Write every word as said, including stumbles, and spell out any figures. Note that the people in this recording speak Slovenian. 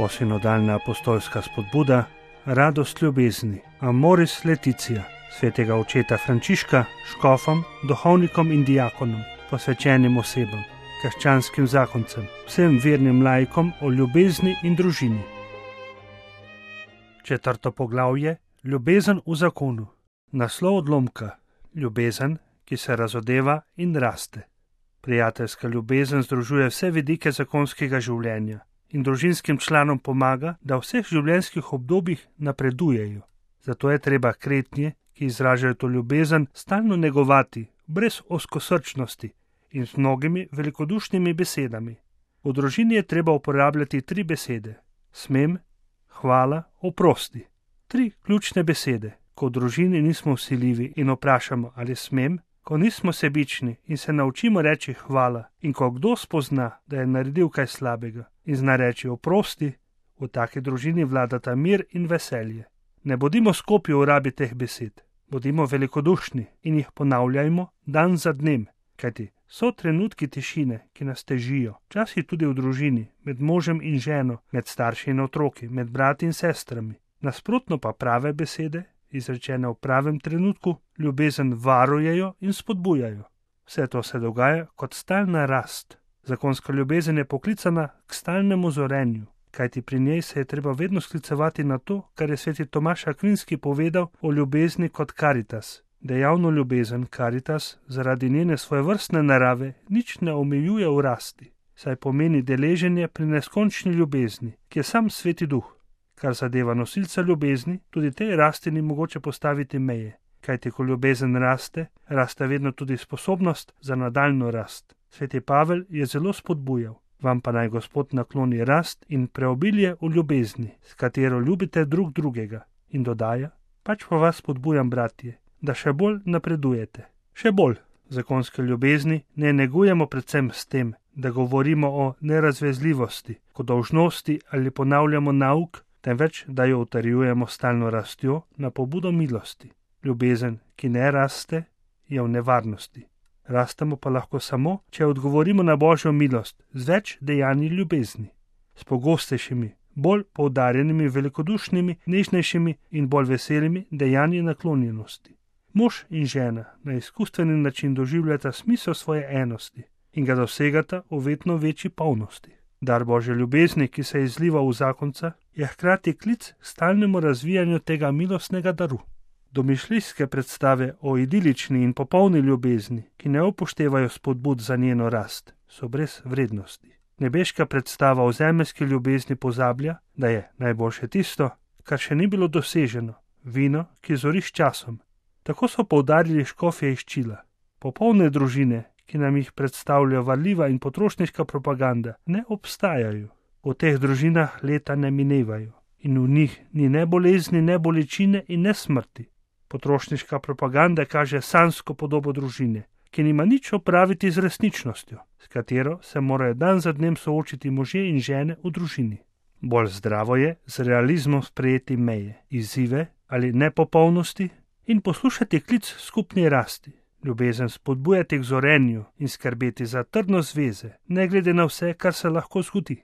Novosinodalna apostolska spodbuda, radost ljubezni, Amoris Laetitia, svetega očeta Frančiška, škofom, duhovnikom in diakonom, posvečenim osebam, krščanskim zakoncem, vsem vernim laikom o ljubezni in družini. Četrto poglavje, ljubezen v zakonu. Naslov odlomka, ljubezen, ki se razodeva in raste. Prijateljska ljubezen združuje vse vidike zakonskega življenja in družinskim članom pomaga, da v vseh življenjskih obdobjih napredujejo. Zato je treba kretnje, ki izražajo to ljubezen, stalno negovati, brez ozkosrčnosti in z mnogimi velikodušnimi besedami. V družini je treba uporabljati tri besede: smem, hvala, oprosti. Tri ključne besede. Ko v družini nismo vsiljivi in vprašamo, ali smem, ko nismo sebični in se naučimo reči hvala, in ko kdo spozna, da je naredil kaj slabega in zna reči oprosti, v taki družini vladata mir in veselje. Ne bodimo skopi v rabi teh besed, bodimo velikodušni in jih ponavljajmo dan za dnem, kajti so trenutki tišine, ki nas težijo, včasih tudi v družini, med možem in ženo, med starši in otroki, med brati in sestrami. Nasprotno pa prave besede, izrečene v pravem trenutku, ljubezen varujejo in spodbujajo. Vse to se dogaja kot stalna rast. Zakonska ljubezen je poklicana k stalnemu zorenju, kajti pri njej se je treba vedno sklicevati na to, kar je sveti Tomaž Akvinski povedal o ljubezni kot karitas. Dejavno ljubezen karitas zaradi njene svojevrstne narave nič ne omejuje v rasti, saj pomeni deleženje pri neskončni ljubezni, ki je sam sveti duh. Kar zadeva nosilca ljubezni, tudi tej rasti ni mogoče postaviti meje, kajti ko ljubezen raste, raste vedno tudi sposobnost za nadaljno rast. Sveti Pavel je zelo spodbujal: vam pa naj Gospod nakloni rast in preobilje v ljubezni, s katero ljubite drug drugega. In dodaja: pač pa vas spodbujam, bratje, da še bolj napredujete. Še bolj. Zakonske ljubezni ne negujemo predvsem s tem, da govorimo o nerazvezljivosti, ko dolžnosti ali ponavljamo nauk, temveč da jo utrjujemo stalno rastjo na pobudo milosti. Ljubezen, ki ne raste, je v nevarnosti. Rastemo pa lahko samo, če odgovorimo na Božjo milost z več dejanji ljubezni, s pogostejšimi, bolj poudarjenimi, velikodušnimi, nežnejšimi in bolj veselimi dejanji naklonjenosti. Mož in žena na izkustveni način doživljata smisel svoje enosti in ga dosegata v vedno večji polnosti. Dar Božje ljubezni, ki se izliva v zakonca, je hkrati klic k stalnemu razvijanju tega milostnega daru. Domišljijske predstave o idilični in popolni ljubezni, ki ne upoštevajo spodbud za njeno rast, so brez vrednosti. Nebeška predstava o zemeljski ljubezni pozablja, da je najboljše tisto, kar še ni bilo doseženo, vino, ki zori s časom. Tako so poudarili škofje iz Čila. Popolne družine, ki nam jih predstavljajo varljiva in potrošniška propaganda, ne obstajajo. V teh družinah leta ne minevajo in v njih ni ne bolezni, ne bolečine in ne smrti. Potrošniška propaganda kaže sanjsko podobo družine, ki nima nič opraviti z resničnostjo, s katero se morajo dan za dnem soočiti možje in žene v družini. Bolj zdravo je z realizmom sprejeti meje, izzive ali nepopolnosti in poslušati klic skupni rasti. Ljubezen spodbujati k zorenju in skrbeti za trdno zveze, ne glede na vse, kar se lahko zgodi.